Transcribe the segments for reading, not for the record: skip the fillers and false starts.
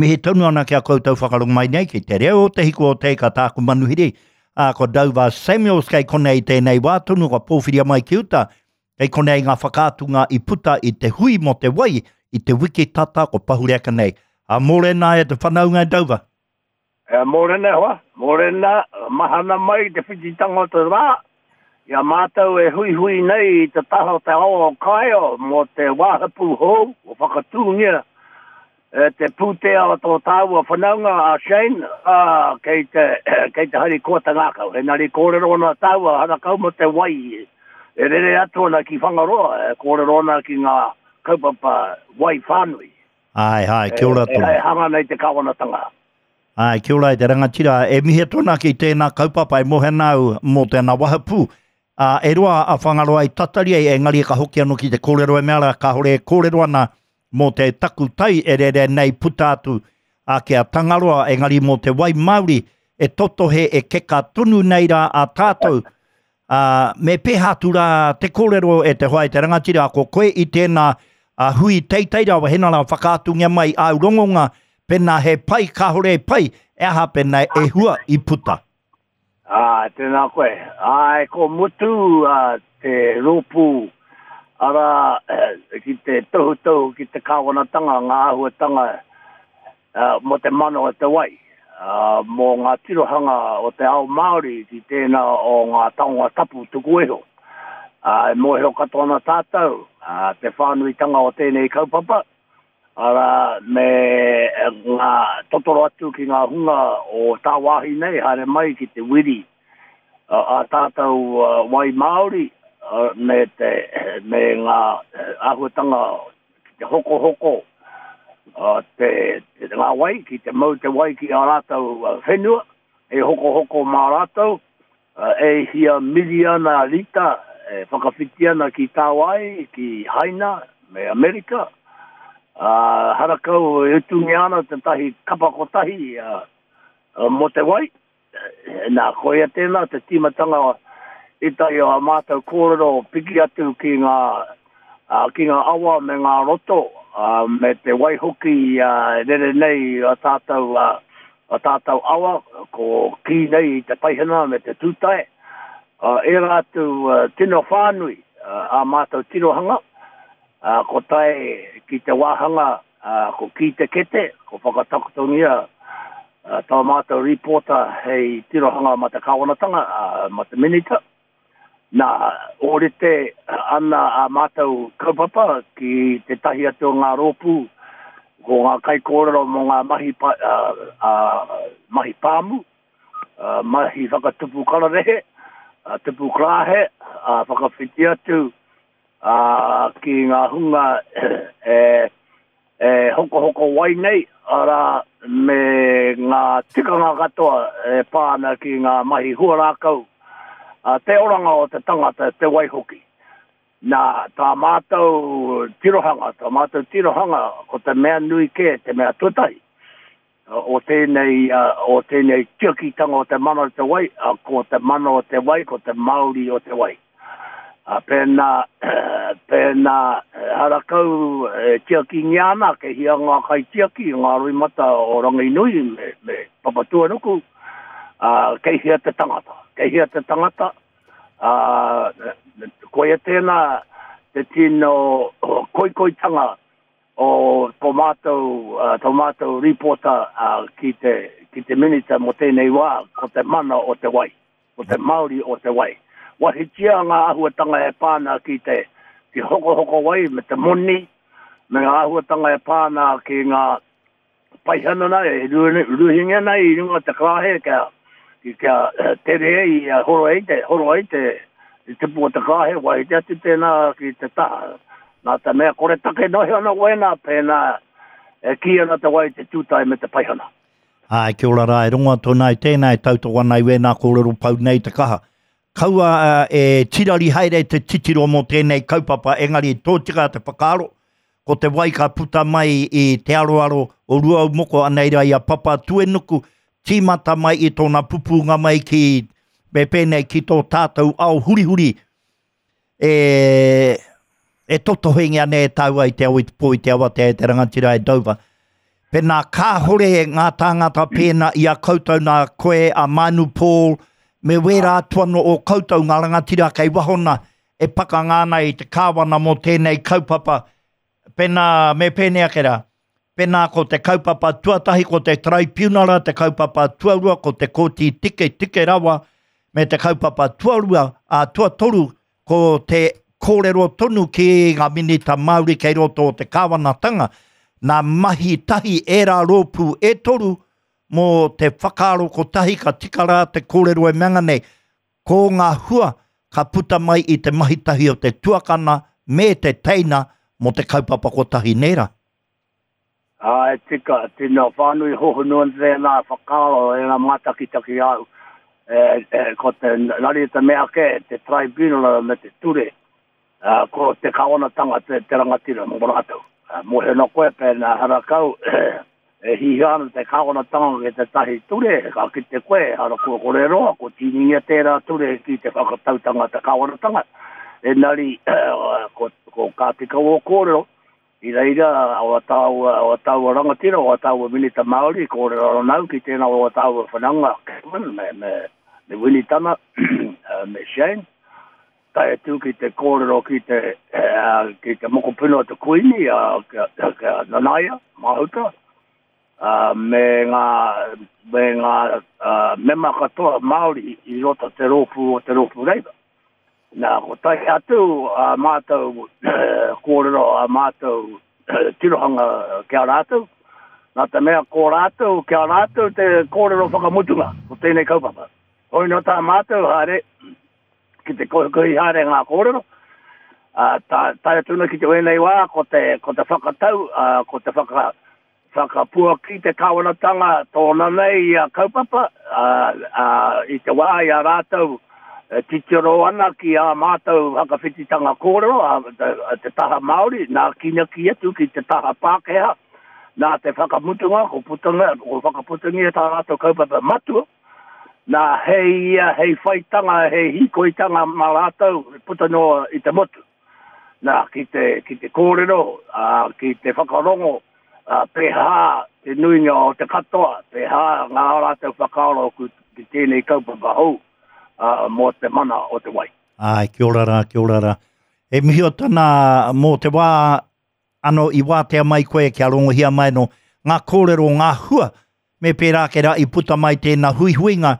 Mihi tonu ana ki a koutou whakarongo mai nei ki te reo o Te Hiku o Te Ika tāku manuhiri, ā, ko Dover Samuels kei konei i tēnei wā tonu kua pōwhiria mai ki uta. Kei konei ngā whakaatunga i puta i te hui mō te wai i te wiki tata ko pahure ake nei. Ā, mōrena e te whanaunga e Dover. E, mōrena e hoa, mōrena, mahana mai te whititanga o te rā, i a mātou e huihui nei i te taha o te awa o Kāeo mō te wāhapu hou o whakatūngia e te pūtea o tō tāua whanaunga a Shane, ā, kei te, kei te harikoa te ngākau. Engari kōrero ana tāua harakau mō te wai e rere atu ana ki Whangaroa, e kōrero ana ki ngā kaupapa wai whānui. Āe, āe, kia ora tonu. E hanga nei te kāwanatanga. Āe, kia ora e te rangatira. E mihi atu ana ki tēnā kaupapa e mohe ana au mō tēnā wahapū. Ā, e roa a Whangaroa i tatari ai, engari ka hoki anō ki te kōrero e mea rā, kāore e kōrero ana mō te takutai e rere nei puta atu ā, ki a Tangaroa, engari mō te wai Māori e totohe e keka tonu nei rā a tātou. Ā, me pēhā atu rā te kōrero e te hoa e te rangatira, ko koe i tēnā ā, hui teitei rawa, hena rā whakaatungia mai āu rongonga, pēnā he pai, kāore e pai, e aha pēnā e hua i puta. Ā, tēnā koe. Āe, ko mutu ā, te rōpū, arā, ki te tohutohu ki te kāwanatanga ngā āhuatanga mō te mana o te wai, mō ngā tirohanga o te ao Māori ki tēnā o ngā taonga tapu tuku iho. E mōhio katoa ana tātou te whānuitanga o tēnei kaupapa, arā, me ngā totoro atu ki ngā hunga o tāwāhi nei haere mai ki te wiri ā tātou wai Māori me te, me ngā āhuatanga ki te hokohoko te, te, ngā wai, ki te mau te wai ki ā rātou whenua, e hokohoko mā rātou, e hia miriana rita e whakawhiti ana ki Tāwāi, ki Haina me Amerika, ā, harakau e utungia ana tētahi kapa kotahi mō te wai. Nā, koia tēnā te tīmatanga o ētahi o ā mātou kōrero piki atu ki ngā, ki ngā awa me ngā roto, me te wai hoki e rere nei ā tātou, ā tātou awa, ko kī nei i te paihana me te tūtae, ērā atu tino whānui ā mātou tirohanga, ko tae ki te wāhanga ko Kī Te Kete, ko whakatakotongia tā mātou rīpōta hei tirohanga mā te kāwanatanga, mā te Minita. Nā, ōrite ana ā mātou kaupapa ki tētahi atu o ngā rōpū, ko ngā kaikōrero mō ngā mahi, mahi pāmu, mahi whakatupu kararehe, tupu karāhe, whakawhiti atu ā, ki ngā hunga e, e hokohoko wai nei, arā, me ngā tikanga katoa e pā ana ki ngā mahi huarākau, ā, te oranga o te tangata, te wai hoki. Nā, tā mātou tirohanga, tā mātou tirohanga, ko te mea nui kē, te mea tuatahi, o tēnei, o tēnei tiakitanga o te mana o te wai, ko te mana o te wai, ko te mauri o te wai. Pēnā, pēnā harakau e tiakingia ana, kei hia ngā kaitiaki, ngā roimata o Ranginui me, me Papatuanuku, kei hea te tangata, kei hea te tangata, koia tēnā te tino koikoitanga o tō mātou, tō mātou rīpōta ki te, ki te Minita mō tēnei wā, ko te mana o te wai, ko te mauri o te wai. Wahitia ngā āhuatanga e pā ana ki te, ki hokohoko wai me te moni, me ngā āhuatanga e pā ana ki ngā paihana nei, e ruhingia nei i runga te karaehe kia, kia tere ai, horo ai te, horo ai te, te tipu o te karaehe, wahite atu tēnā ki te taha. Nā te mea kore take nohi ana wēnā, pēnā e kī ana te wai te tūtae me te paihana. Āe, kia ora rā, e rongo atu ana i tēnā e tautoko ana i wēnā kōrero pau nei te kaha. Kaua e tirari haere te titiro mō tēnei kaupapa, engari tōtika te whakaaro, ko te wai ka puta mai i te aroaro o Ruaumoko anei rā i a Papatuenuku, tīmata mai i tōna pupūnga mai ki, me pēnei ki tō tātou ao hurihuri e, e totohengia nei e tāua i te ao i te pō i te awatea e te rangatira e Dover. Pēnā kāhore ngā tāngata pēnā i a koutou nā koe a Manu Paul me wērā atu anō o koutou ngā rangatira kei waho nā e pakanga ana i te kāwana mō tēnei kaupapa pēnā me pēnei ake rā pēnā ko te kaupapa tuatahi ko te taraipiunara te kaupapa tuarua ko te kōti tike tike rawa me te kaupapa tuarua a tuatoru ko te kōrero tonu ki ngā minita Māori kei roto o te kāwanatanga, nā mahi tahi ērā rōpū e toru mō te whakaaro kotahi ka tika rā te kōrero e mea nei, ko ngā hua ka puta mai i te mahi tahi o te tuakana me te teina mō te kaupapa kotahi nē rā? Ā, e tika, tino whānui hohonu ana tēnā whakaaro e ngā mātakitaki āu. E, e, ko te nari te mea kē, te tribunal me te ture, ā, ko te kāwanatanga te, te rangatira mō rātou. Ā, mōhio ana koe pēnā harakau, e hihia ana te kāwanatanga ki tētahi ture, ka kite koe, hara kua kore roa, ko tīningia tērā ture ki te whakatautanga te kāwanatanga. Engari, ko, ko ka tika wō kōrero, I reira, o a tāua, o a tāua rangatira, o a tāua minita Māori, kōrero ana au ki tēnā o a tāua whanaunga, Cameron, me, me, me Winitana, me Shane, tae atu ki te kōrero ki te, ki te mokopuna o te Kuini, a, kia, kia Nanaia Mahuta, me ngā, me ngā mema katoa Māori i roto te rōpū o te rōpū Labour. Nā, ko tae atu a mātou kōrero, a mātou tirohanga ki a rātou, nā te mea ko rātou, ki a rātou te kōrero whakamutunga o tēnei kaupapa. Hoi nō tā mātou haere, ki te kohikohi haere ngā kōrero, ā, tae atu ana ki te wēnei wā, ko te, ko te whakatau, ā, ko te whaka, Whakapuaki te kāwanatanga tōna nei ia kaupapa, ā, ā, i te wā i a rātou e titiro ana ki ā mātou whakawhititanga kōrero, ā, te, te taha Māori, nā kīnaki atu ki te taha Pākehā, nā te whakamutunga, ko putanga, ko whakaputangia tā rātou kaupapa matua, nā hei ia, hei whaitanga, hei hīkoitanga mā rātou puta noa i te motu. Nā, ki te, ki te kōrero, ā, ki te whakarongo, ā, pēhā te nuinga o te katoa, pēhā ngā rātou whakaaro ki, ki tēnei kaupapa hou, ā, mō te mana o te wai. Āe, kia ora rā, kia ora rā. E mihi o tana mō te wā ano i wātea mai koe kia rongohia mai no ngā kōrero, ngā hua me pērā ake rā i puta mai tēnā huihuinga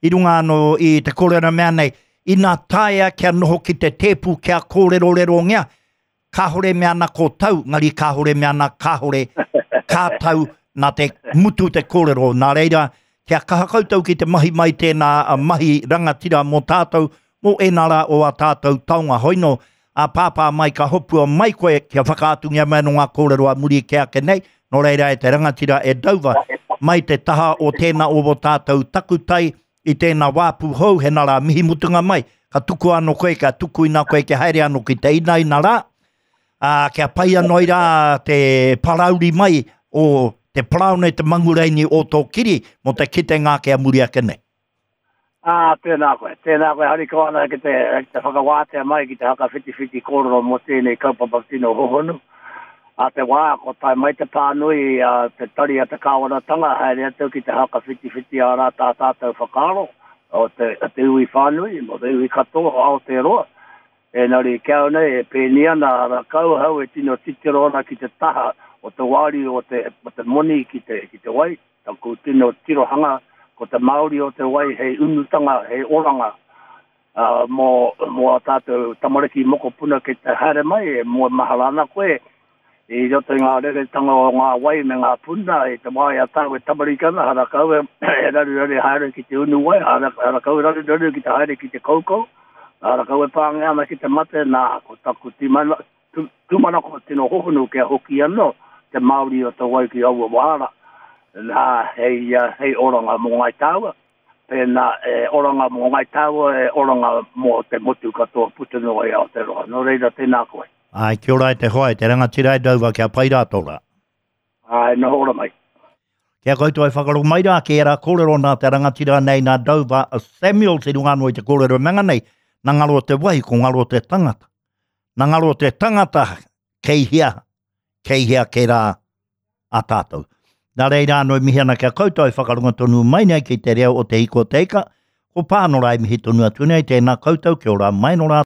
i runga anō i te kōrero mea nei, ina taea kia noho ki te tēpu kia kōrerorerongia, kāhore mea ana ko tau, ngari kāhore mea ana kāhore kā tau nā te mutu te kōrero. Nā reira, kia kaha koutou ki te mahi mai tēnā mahi rangatira mō tātou, mō ēnā rā o ā tātou taonga. Hoino, ā pāpā mai ka hopua mai koe kia whakaatungia mai anō ngā kōrero a muri ke ake nei, nō reira e te rangatira e Dover, mai te taha o tēnā o wō tātou takutai i tēnā wāpu hou, hena rā mihi mutunga mai, ka tukua anō koe, ka tukuina koe kia haere anō ki te inaina rā, ā, kia pai anō ai rā te parauri mai o te paraone te mangureini o tō kiri mō te kitenga ake a muri ake nei. Ā, tēnā koe. Tēnā koe, harikoa ana ki te, ki te whakawātea mai, ki te whakawhitiwhiti kōrero mō tēnei kaupapa tino hohonu. Ā te wā, ko tae mai te pānui a te tari a te kāwanatanga, haere atu ki te whakawhitiwhiti ā rā tā tātou whakaaro o te, o te iwi whānui, mō te iwi katoa o Aotearoa. Engari, ki au nei, e pēni ana a Rakauhau e tino titiro ana ki te taha o te wāriu o te, o te moni ki te, ki te wai. Taku tino tirohanga, ko te Māori o te wai hei unutanga, hei oranga mō, mō ā tātou tamariki mokopuna kei te haere mai, e moe mahara ana koe i roto i ngā reretanga o ngā wai me ngā puna i te wā i a tāu e tamariki ana, harakau e, e raruraru haere ki te unu wai, harakau e raruraru ki te haere ki te koukou, harakau e pāngia ana ki te mate, nā, ko taku timana, Tūmanako tino hohonu kia hoki anō te Māori o te wai ki aua wā rā, nā, hei, hei oranga mō Ngāi Tāua, pēnā e oranga mō Ngāi Tāua, e oranga mō te motu katoa puta noa i Aotearoa. Nō reira, tēnā koe. Āe, kia ora e te hoa, e te rangatira e Dover, kia pai rā tō rā. Āe, noho ora mai. Kia koutou e whakarongo mai rā ki ērā kōrero nā te rangatira nei nā Dover Samuels i runga anō i te kōrero e manga nei, nā ngaro te wai, ko ngaro te tangata. Na ngaro te tangata kei hea, kei hea ke rā a tātou. Nā reira anō e mihi ana ki a koutou e whakarongo tonu mai nei ki te reo o Te Ika o Te Ika. Ko Pānora e mihi tonu atu nei, tēnā koutou, kia ora mai nō rā.